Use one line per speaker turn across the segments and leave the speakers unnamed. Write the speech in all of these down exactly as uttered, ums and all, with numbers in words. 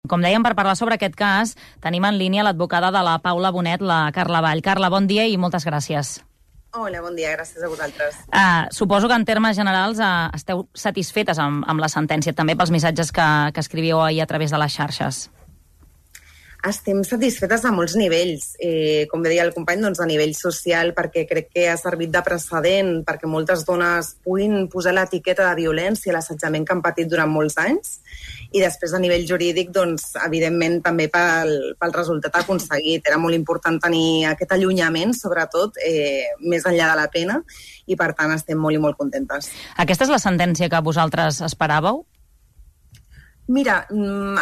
Com dèiem, per parlar sobre aquest cas, tenim en línia l'advocada de la Paula Bonet, la Carla Vall. Carla, bon dia i moltes gràcies.
Hola, bon dia, gràcies a vosaltres.
Uh, suposo que en termes generals uh, esteu satisfetes amb, amb la sentència, també pels missatges que, que escrivíeu ahir a través de les xarxes.
Estem satisfetes a molts nivells. Eh, com bé deia el company, doncs a nivell social, perquè crec que ha servit de precedent perquè moltes dones puguin posar l'etiqueta de violència i l'assetjament que han patit durant molts anys. I després, a nivell jurídic, doncs, evidentment, també pel, pel resultat aconseguit. Era molt important tenir aquest allunyament, sobretot, eh, més enllà de la pena, i, per tant, estem molt i molt contentes.
Aquesta és la sentència que vosaltres esperàveu?
Mira,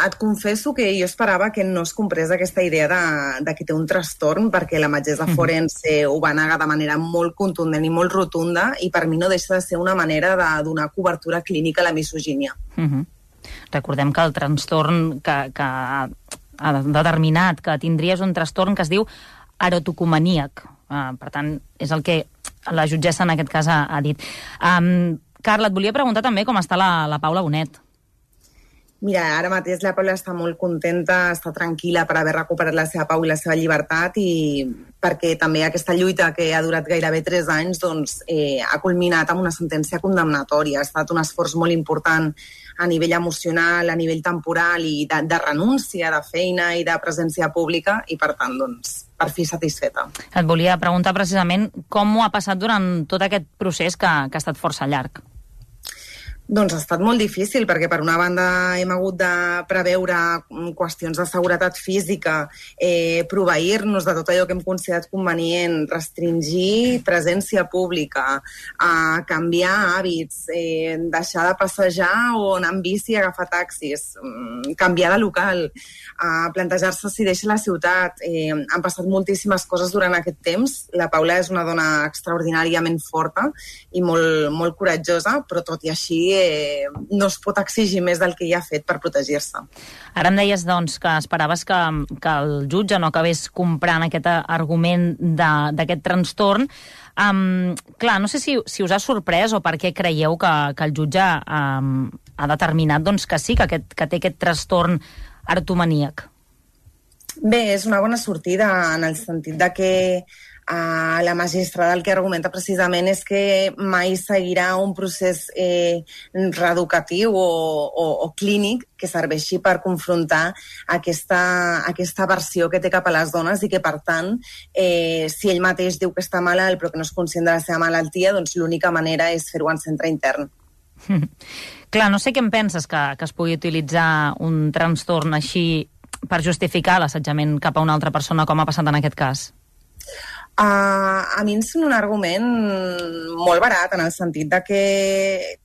et confesso que jo esperava que no es comprés aquesta idea de, de que té un trastorn, perquè la metgessa forense ho va negar de manera molt contundent i molt rotunda, i per mi no deixa de ser una manera de donar cobertura clínica a la misogínia.
Uh -huh. Recordem que el trastorn que, que ha determinat que tindries un trastorn que es diu erotocomaníac. Uh, per tant, és el que la jutgessa en aquest cas ha, ha dit. Um, Carla, et volia preguntar també com està la, la Paula Bonet.
Mira, ara mateix la Paula està molt contenta, està tranquil·la per haver recuperat la seva pau i la seva llibertat, i perquè també aquesta lluita que ha durat gairebé tres anys doncs, eh, ha culminat amb una sentència condemnatòria. Ha estat un esforç molt important a nivell emocional, a nivell temporal i de, de renúncia, de feina i de presència pública, i per tant, doncs, per fi satisfeta.
Et volia preguntar precisament com ho ha passat durant tot aquest procés que, que ha estat força llarg.
Doncs ha estat molt difícil, perquè per una banda hem hagut de preveure qüestions de seguretat física, eh, proveir-nos de tot allò que hem considerat convenient, restringir presència pública, eh, canviar hàbits, eh, deixar de passejar o anar amb bici, agafar taxis, eh, canviar de local, eh, plantejar-se si deixa la ciutat. Eh, han passat moltíssimes coses durant aquest temps. La Paula és una dona extraordinàriament forta i molt, molt coratjosa, però tot i així Eh, no es pot exigir més del que ja ha fet per protegir-se.
Ara em deies doncs, que esperaves que, que el jutge no acabés comprant aquest argument d'aquest trastorn. Um, clar, no sé si, si us ha sorprès o per què creieu que, que el jutge um, ha determinat doncs, que sí, que, aquest, que té aquest trastorn erotomaníac.
Bé, és una bona sortida en el sentit de que Uh, la magistrada el que argumenta precisament és que mai seguirà un procés eh, reeducatiu o, o, o clínic que serveixi per confrontar aquesta, aquesta versió que té cap a les dones, i que, per tant, eh, si ell mateix diu que està malalt però que no és conscient de la seva malaltia, doncs l'única manera és fer-ho en centre intern.
Clar, no sé què em penses que, que es pugui utilitzar un trastorn així per justificar l'assetjament cap a una altra persona, com ha passat en aquest cas.
Uh, a mi em sembla un argument molt barat, en el sentit de que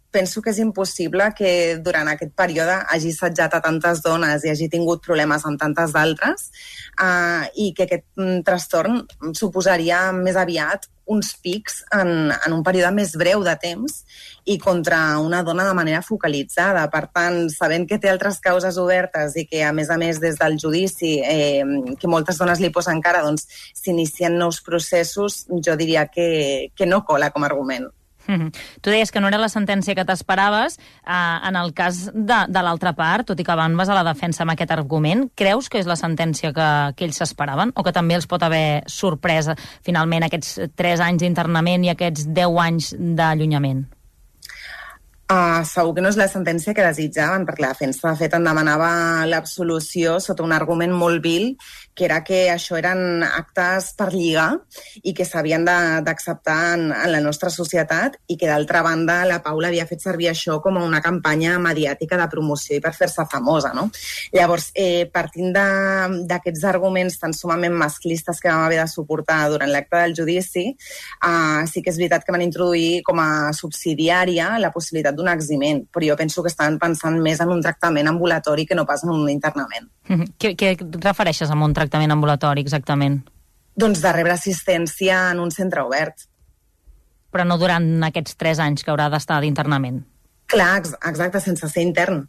penso que és impossible que durant aquest període hagi assetjat a tantes dones i hagi tingut problemes amb tantes d'altres, uh, i que aquest mm, trastorn suposaria més aviat uns pics en, en un període més breu de temps i contra una dona de manera focalitzada. Per tant, sabent que té altres causes obertes i que, a més a més, des del judici, eh, que moltes dones li posen cara, doncs s'inicien nous processos, jo diria que, que no cola com a argument.
Mm-hmm. Tu deies que no era la sentència que t'esperaves. Uh, en el cas de, de l'altra part, tot i que van basar la defensa amb aquest argument, creus que és la sentència que, que ells s'esperaven, o que també els pot haver sorprès finalment aquests tres anys d'internament i aquests deu anys d'allunyament?
Uh, segur que no és la sentència que desitjaven, perquè la defensa, de fet, en demanava l'absolució sota un argument molt vil, que era que això eren actes per lligar i que s'havien d'acceptar en, en la nostra societat, i que, d'altra banda, la Paula havia fet servir això com a una campanya mediàtica de promoció i per fer-se famosa, no? Llavors, eh, partint d'aquests arguments tan sumament masclistes que vam haver de suportar durant l'acte del judici, uh, sí que és veritat que van introduir com a subsidiària la possibilitat d'un eximent, però jo penso que estaven pensant més en un tractament ambulatori que no pas en un internament.
Què, què et refereixes amb un tractament ambulatori, exactament?
Doncs de rebre assistència en un centre obert.
Però no durant aquests tres anys que haurà d'estar d'internament?
Clar, exacte, sense ser intern.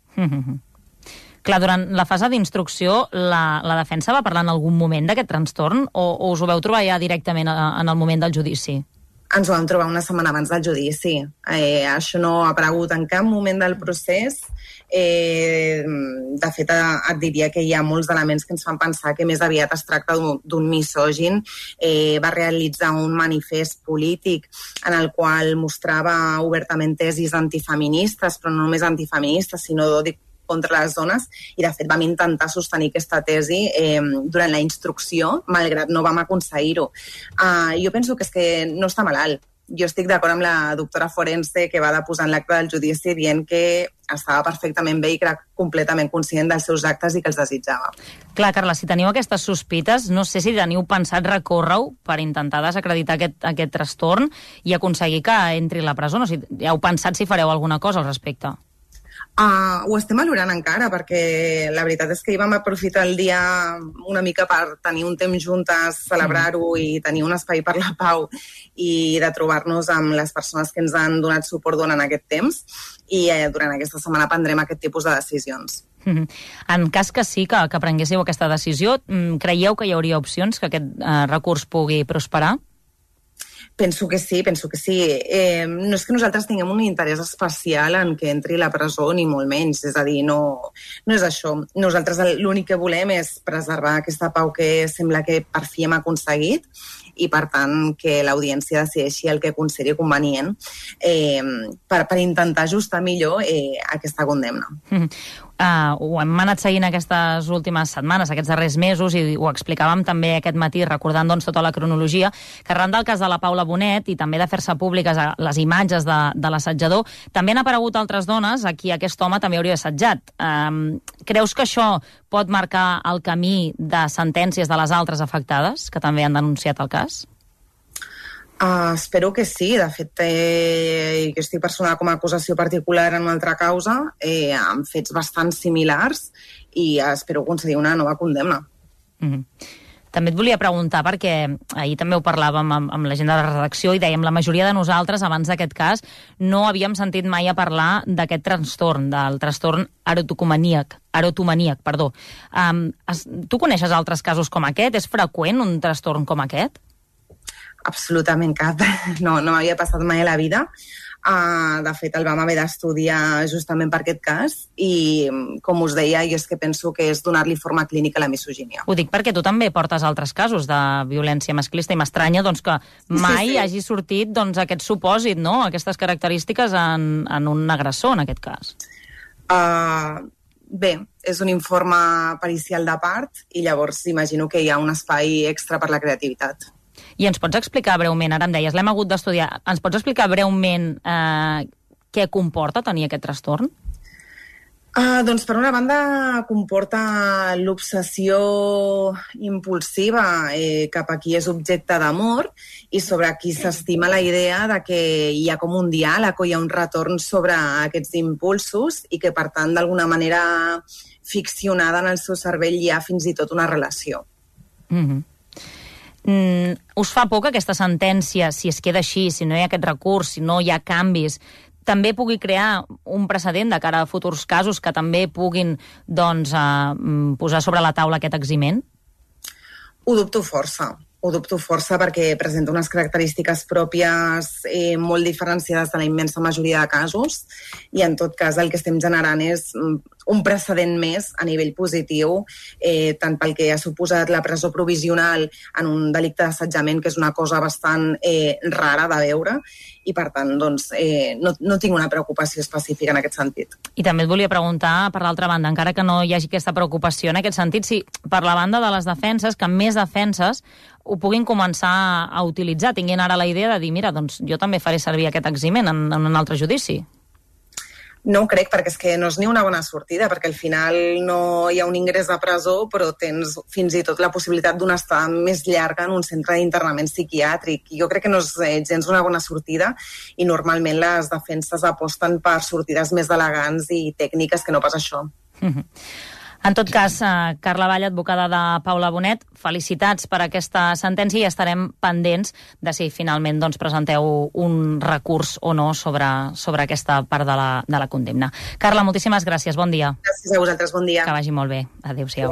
Clar, durant la fase d'instrucció, la, la defensa va parlar en algun moment d'aquest trastorn, o, o us ho veu trobar ja directament a, en el moment del judici?
Ens ho vam trobar una setmana abans del judici. Eh, això no ha aparegut en cap moment del procés. Eh, de fet, et diria que hi ha molts elements que ens fan pensar que més aviat es tracta d'un misògin. Eh, va realitzar un manifest polític en el qual mostrava obertament tesis antifeministes, però no només antifeministes, sinó contra les dones, i de fet vam intentar sostenir aquesta tesi eh, durant la instrucció, malgrat no vam aconseguir-ho. Uh, jo penso que és que no està malalt. Jo estic d'acord amb la doctora forense que va deposar en l'acte del judici dient que estava perfectament bé i que era completament conscient dels seus actes i que els desitjava.
Clar, Carla, si teniu aquestes sospites, no sé si teniu pensat recórrer-ho per intentar desacreditar aquest, aquest trastorn i aconseguir que entri a la presó. No, si heu pensat si fareu alguna cosa al respecte?
Uh, ho estem valorant encara, perquè la veritat és que hi vam aprofitar el dia una mica per tenir un temps juntes, celebrar-ho i tenir un espai per la pau i de trobar-nos amb les persones que ens han donat suport durant aquest temps, i eh, durant aquesta setmana prendrem aquest tipus de decisions.
Mm-hmm. En cas que sí, que, que prenguéssiu aquesta decisió, creieu que hi hauria opcions que aquest eh, recurs pugui prosperar?
Penso que sí, penso que sí. Eh, no és que nosaltres tinguem un interès especial en que entri a la presó, ni molt menys. És a dir, no, no és això. Nosaltres l'únic que volem és preservar aquesta pau que sembla que per fi hem aconseguit, i, per tant, que l'audiència decideixi el que consideri convenient eh, per, per intentar ajustar millor eh, aquesta condemna.
Mm. Uh, ho hem anat seguint aquestes últimes setmanes, aquests darrers mesos, i ho explicàvem també aquest matí, recordant doncs, tota la cronologia, que arran del cas de la Paula Bonet i també de fer-se públiques les imatges de, de l'assetjador, també han aparegut altres dones a qui aquest home també hauria assetjat. Um, creus que això pot marcar el camí de sentències de les altres afectades, que també han denunciat el cas?
Uh, espero que sí. De fet, eh, jo estic personada com a acusació particular en una altra causa, eh, amb fets bastant similars, i espero aconseguir una nova condemna.
Mm-hmm. També et volia preguntar, perquè ahir també ho parlàvem amb, amb la gent de la redacció i dèiem la majoria de nosaltres, abans d'aquest cas, no havíem sentit mai a parlar d'aquest trastorn, del trastorn erotomaníac, erotomaníac, perdó. Um, es, tu coneixes altres casos com aquest? És freqüent un trastorn com aquest?
Absolutament cap. No, no m'havia passat mai a la vida. Uh, de fet, el vam haver d'estudiar justament per aquest cas, i, com us deia, jo és que penso que és donar-li forma clínica a la misogínia.
Ho dic perquè tu també portes altres casos de violència masclista, i m'estranya doncs, que mai sí, sí. hagi sortit doncs, aquest supòsit, no? Aquestes característiques en, en un agressor, en aquest cas.
Uh, bé, és un informe pericial de part, i llavors imagino que hi ha un espai extra per la creativitat.
I ens pots explicar breument, ara em deies, l'hem hagut d'estudiar, ens pots explicar breument eh, què comporta tenir aquest trastorn?
Uh, doncs, per una banda, comporta l'obsessió impulsiva eh, cap a qui és objecte d'amor, i sobre qui s'estima la idea de que hi ha com un diàleg o hi ha un retorn sobre aquests impulsos, i que, per tant, d'alguna manera ficcionada en el seu cervell hi ha fins i tot una relació.
Mhm. Mm, us fa por que aquesta sentència, si es queda així, si no hi ha aquest recurs, si no hi ha canvis, també pugui crear un precedent de cara a futurs casos que també puguin doncs, eh, posar sobre la taula aquest eximent?
Ho dubto força. Ho dubto força perquè presenta unes característiques pròpies eh, molt diferenciades de la immensa majoria de casos, i en tot cas el que estem generant és un precedent més a nivell positiu, eh, tant pel que ha suposat la presó provisional en un delicte d'assetjament, que és una cosa bastant eh, rara de veure, i per tant doncs, eh, no, no tinc una preocupació específica en aquest sentit.
I també et volia preguntar, per l'altra banda, encara que no hi hagi aquesta preocupació en aquest sentit, si per la banda de les defenses, que més defenses ho puguin començar a utilitzar, tinguin ara la idea de dir, mira, doncs jo també faré servir aquest eximent en, en un altre judici.
No ho crec, perquè és que no és ni una bona sortida, perquè al final no hi ha un ingrés a presó, però tens fins i tot la possibilitat d'una estada més llarga en un centre d'internament psiquiàtric. Jo crec que no és gens una bona sortida, i normalment les defenses aposten per sortides més elegants i tècniques que no pas això.
Mm-hmm. En tot cas, eh, Carla Vall, advocada de Paula Bonet, felicitats per aquesta sentència, i estarem pendents de si finalment doncs, presenteu un recurs o no sobre, sobre aquesta part de la, de la condemna. Carla, moltíssimes gràcies, bon dia.
Gràcies a vosaltres, bon dia.
Que vagi molt bé. Adéu-siau.